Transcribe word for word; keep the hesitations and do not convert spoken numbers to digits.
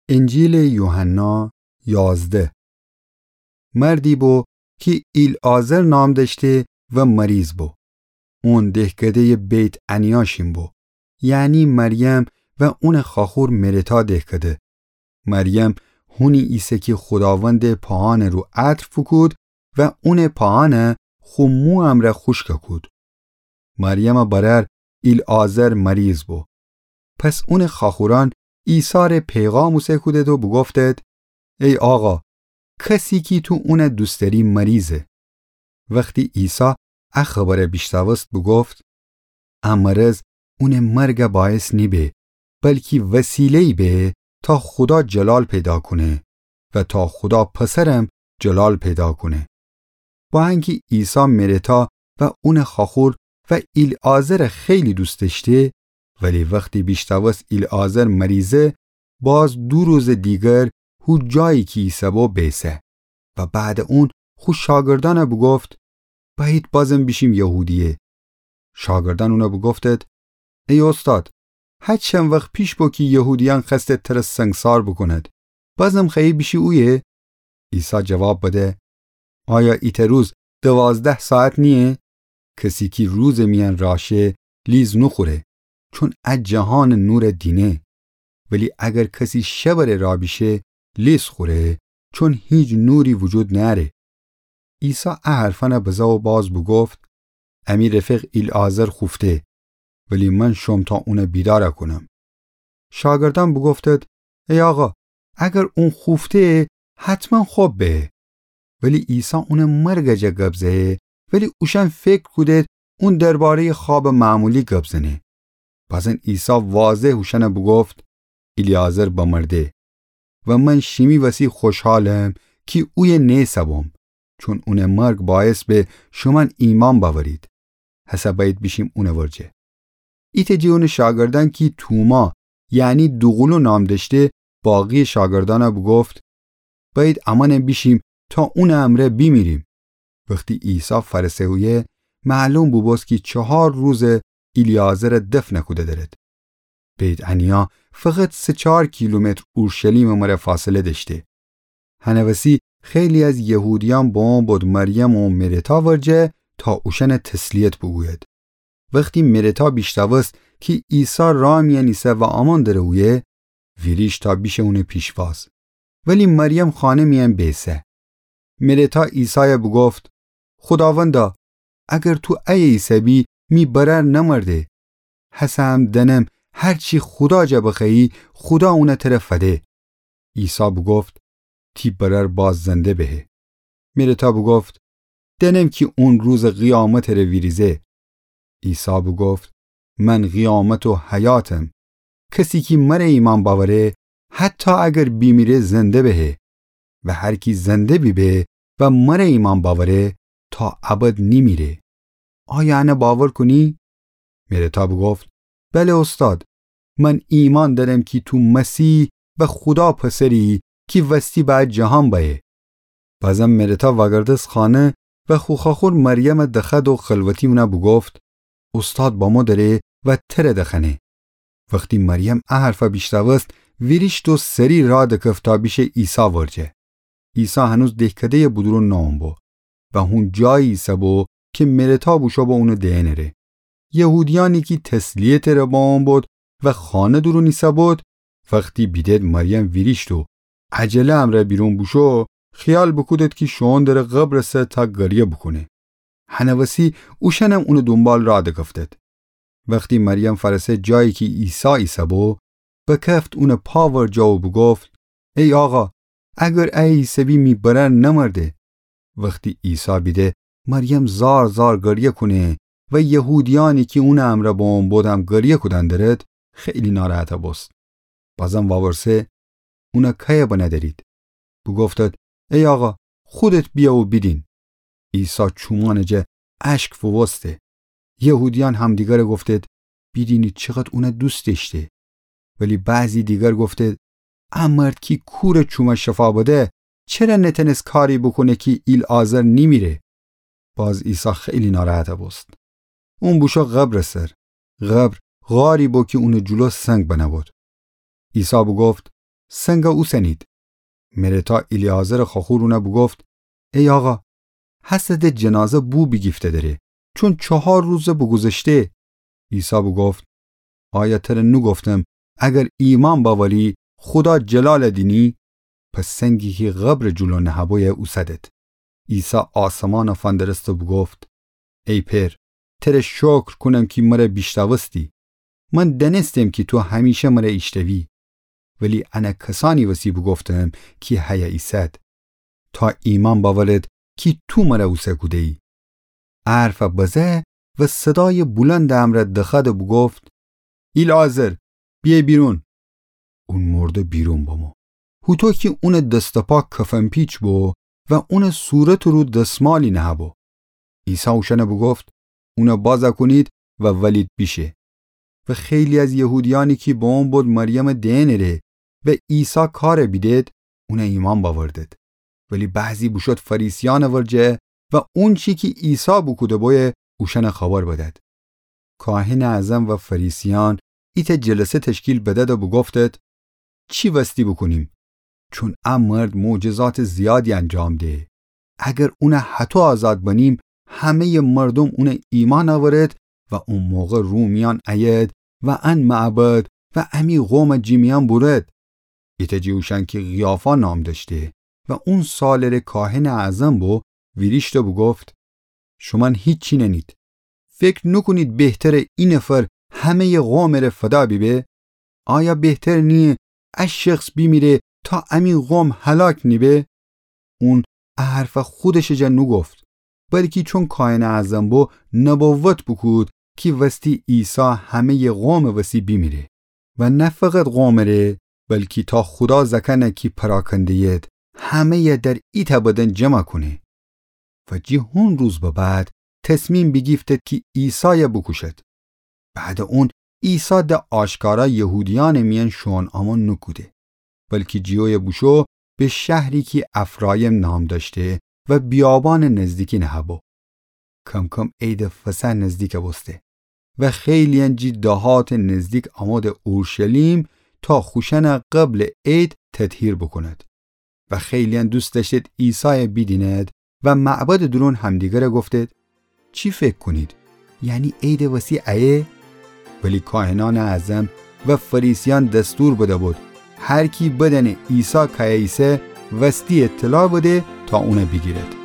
انجیلٚ یوحنا یازده. مردی بو کی ایلعازر نام دأشته و مریض بو. اون دهکده‌یٚ بیت‌عنیا شین بو، یعنی مریم و اونٚ خواخور مرتا دهکده. مریم هونی ایسه کی خوداوندٚ پاهانٚ رو عطر فوکود و اونٚ پاهانَ خو مو امرأ خوشک کود. مریمٚ برأر ایلعازر مریض بو. پس اونٚ خواخورأن عیسی ره پیغام اوسه کودید و بوگفتید: ای آقا، کسی کی تو اونَ دوست دأری مریضه. وختی عیسی ا خبرَ بیشنوست بوگفت: ا مرض اونٚ مرگَ باعث نیبه، بلکی وسیله‌یی به تا خودا جلال پیدا کونه و تا خودا پسرم جلال پیدا کونه. با انکی عیسی مرتا و اونٚ خواخور و ایلعازرَ خیلی دوست دأشته، ولی وختی بیشنوست ایلعازر مریضه، باز دو روزٚ دیگر هو جایی کی ایسه‌بو بیسه و بعدٚ اون خو شاگردأنَ بوگفت: بأیید بازم بیشیم یهودیه. شاگردأن اونَ بوگفتید: ای اوستاد، هه چند وخت پیش بو کی یهودیأن خوأستید تره سنگسار بوکونید، بازم خوأیی بیشی اویه؟ عیسی جواب بده: آیا ایتأ روز دوازده ساعت نییه؟ کسی کی روزٚ میأن راه شه لیز نوخوره، چون ا جهانٚ نورَ دینه. ولی اگر کسی شبٚ ره راه بیشه، لیز خوره، چون هیچ نوری وجود نأره. عیسی ا حرفأنَ بزه و باز بوگفت: امی رفیق ایلعازر خوفته، ولی من شوم تا اونَ بیدار کونم. شاگردأن بوگفتید: ای آقا، اگر اون خوفته، حتماً خب به. ولی عیسی اونٚ مرگٚ جا گب زه‌یی، ولی اوشأن فکر کودید اون درباره‌یٚ خوابٚ معمولی گب زنه. بازین عیسی واضح اوشأنَ بوگفت: ایلعازر بمرده و من شیمی وسی خوشحالم کی اویه نیسه‌بوم، چون اونٚ مرگ باعث به شومأن ایمأن بأورید. هسه بأیید بیشیم اونٚ ورجه. ایتأ جٚه اونٚ شاگردأن کی توما، یعنی دوقولو نام دأشته، باقی‌یٚ شاگردأنَ بوگفت: بأیید امأنم بیشیم تا اونٚ امرأ بیمیریم. وختی عیسی فأرسه اویه، معلوم بوبوست کی چهار روزه ایلعازرَ دفن کوده درید. بیت‌عنیا فقط سه چار کیلومتر اورشلیمٚ مره فاصله دأشته. هنٚ وسی خیلی از یهودیأن بمو بود مریم و مرتا ورجه تا اوشأنَ تسلیت بوگوید. وختی مرتا بیشنوست کی عیسی راه میأن ایسه و امأن دره اویه، ویریشت تا بیشه اونٚ پیشواز. ولی مریم خانه میأن بیسه. مرتا عیسایَ بوگفت: خوداوندا، اگر تو ایه ایسه‌بی، می برأر نمرده. هسه هم دأنم هر چی خودا جا بخوأیی، خودا اونَ تره فده. عیسی بوگفت: تی برأر باز زنده بهه. مرتا بوگفت: دأنم کی اون روزٚ قیامتٚ ره ویریزه. عیسی بوگفت: من قیامت و حیاتم. کسی کی مره ایمأن بأوره، حتی اگر بیمیره، زنده بهه. و هر کی زنده بیبه و مره ایمأن بأوره، تا ابد نیمیره. آیا انَ باور کونی؟ مرتا بوگفت: بله اوستاد، من ایمأن دأرم کی تو مسیح و خودا پسری کی وستی به ا جهان بأیه. بازم مرتا وأگردست خانه و خو خواخور مریمَ دخوأد و خلوتی اونَ بوگفت: اوستاد بمو دره و تره دخوأنه. وختی مریم ا حرفَ بیشنوست، ویریشت و سری راه دکفت تا بیشه عیسی ورجه. عیسی هنوز دهکده‌یٚ بودورون نومبو و هون جایی ایسه‌بو کی مرتا بوشو به اونٚ دئنٚ ره. یهودیأنی کی تسلیتٚ ره بمو بود و خانه دورون ایسه‌بود، وختی بیدید مریم ویریشت و عجله امرأ بیرون بوشو، خیال بوکودید کی شوئون دره قبرٚ سر تا گریه بوکونه. هنٚ وسی اوشأنم اونٚ دونبال راه دکفتید. وختی مریم فأرسه جایی کی عیسی ایسه‌بو، بکفت اونٚ پا ورجه و بوگفت: ای آقا، اگر ایه ایسه‌بی می برأر نمرده. وختی عیسی بیده مریم زار زار گریه کونه و یهودیأنی کی اونٚ امرأ بمو بودم گریه کودن درید، خیلی ناراحت بوست. بازم وورسه: اونَ کیه بنه درید؟ بوگفتید: ای آقا، خودت بیه و بیدین. عیسی چومأنٚ جا اشک فووسته. یهودیأن همدیگره گفتید: بیدینید چقدر اونَ دوست دأشته. ولی بعضی دیگر گفتید: ا مرد کی کورٚ چومَ شفا بده، چره نتأنست کاری بوکونه کی ایلعازر نیمیره؟ باز عیسی خیلی ناراحت بوست. اون بوشو قبرٚ سر. قبر غاری بو کی اونٚ جلو سنگ بنه بود. عیسی بوگفت: سنگ اوسنید. مرتا ایلیعازرٚ خوأخور اونَ بوگفت: ای آقا، هسه د جنازه بو بیگیفته دره، چون چهار روزه بوگوذشته. عیسی بوگفت: آیا تره نوگفتم اگر ایمأن بأوری، خودا جلالَ دینی؟ پس سنگی کی قبرٚ جلو نهه‌بویه اوسدد. عیسی آسمانَ فندرست و بوگفت: ای پئر، تره شکر کونم کی مره بیشنوستی. من دأنستم کی تو همیشه مره ایشتوی، ولی انه کسأنی وسی بوگفتم کی هیه ایسد، تا ایمأن بأورد کی تو مره اوسه کوده‌یی. ا حرفَ بزه و صدایٚ بلندٚ امرأ دخوأد و بوگفت: ایلعازر، بیأ بیرون. اون مرده بیرون بمو، هوطو کی اونٚ دست و پا کفن‌پیچ بو و اونٚ صورتٚ رو دسمالی نهه‌بو. عیسی اوشأنَ بوگفت: اونَ بازَ کونید و ولیید بیشه. و خیلی از یهودیأنی کی به اون بد مریمٚ دئنٚره و عیسی کارَ بیدد، اونَ ایمأن بأوردد. ولی بعضی بوشود فریسیأنٚ ورجه و اونچی کی عیسی بوکوده‌بویه اوشأنَ خبر بدد. کاهنٚ اعظم و فریسیأن ایتأ جلسه تشکیل بدد و بوگفتد: چی وستی بوکونیم؟ چون ا مرد معجزاتٚ زیادی انجام ده. اگر اونَ هطو آزاد بنیم، همه‌یٚ مردوم اونَ ایمأن أورد و او موقع رومیأن أید و ان معبد و امی قومَ جٚه میأن بورد. ایتأ جٚه اوشأن کی قیافا نام دأشته و اون سالٚره کاهنٚ اعظم بو، ویریشت و بوگفت: شومأن هیچی نأنید. فکر نوکونید بهتره ای نفر همه‌یٚ قومٚره فدا بیبه؟ آیا بهتر نییه ا شخص بیمیره تا امی قوم هلاک نیبه؟ اون ا حرفَ خودشٚ جا نوگفت، بلکی چون کاهنٚ اعظم بو، نبوت بوکود کی وستی عیسی همه‌یٚ قومٚ وسی بیمیره و نه فقط قومٚره، بلکی تا خودا زأکأنَ کی پراکنده‌ید، همه‌یَ در ایتأ بدن جمع کونه. و جٚه هون روز به بعد تصمیم بیگیفتد کی عیسایَ بوکوشد. بعدٚ اون عیسی د آشکارا یهودیأنٚ میأن شوئون آمون نوکوده، بلکی جٚه اویه بوشو به شهری کی افرایم نام دأشته و بیابانٚ نزدیکی نهه‌بو. کم‌کم عیدٚ فصح نزدیک بوسته و خیلی‌یأن جٚه دهاتٚ نزدیک آموده اورشلیم تا خوشأنَ قبلٚ عید تطهیر بوکوند. و خیلی‌یأن دوست دأشتید عیسایَ بیدینید و معبدٚ دورون همدیگره گفتید: چی فکر کونید؟ یعنی عیدٚ وسی ایه؟ ولی کاهنأنٚ اعظم و فریسیأن دستور بده‌بود هر کی بدأنه عیسی کایه ایسه، وستی اطلاع بده تا اونَ بیگیرد.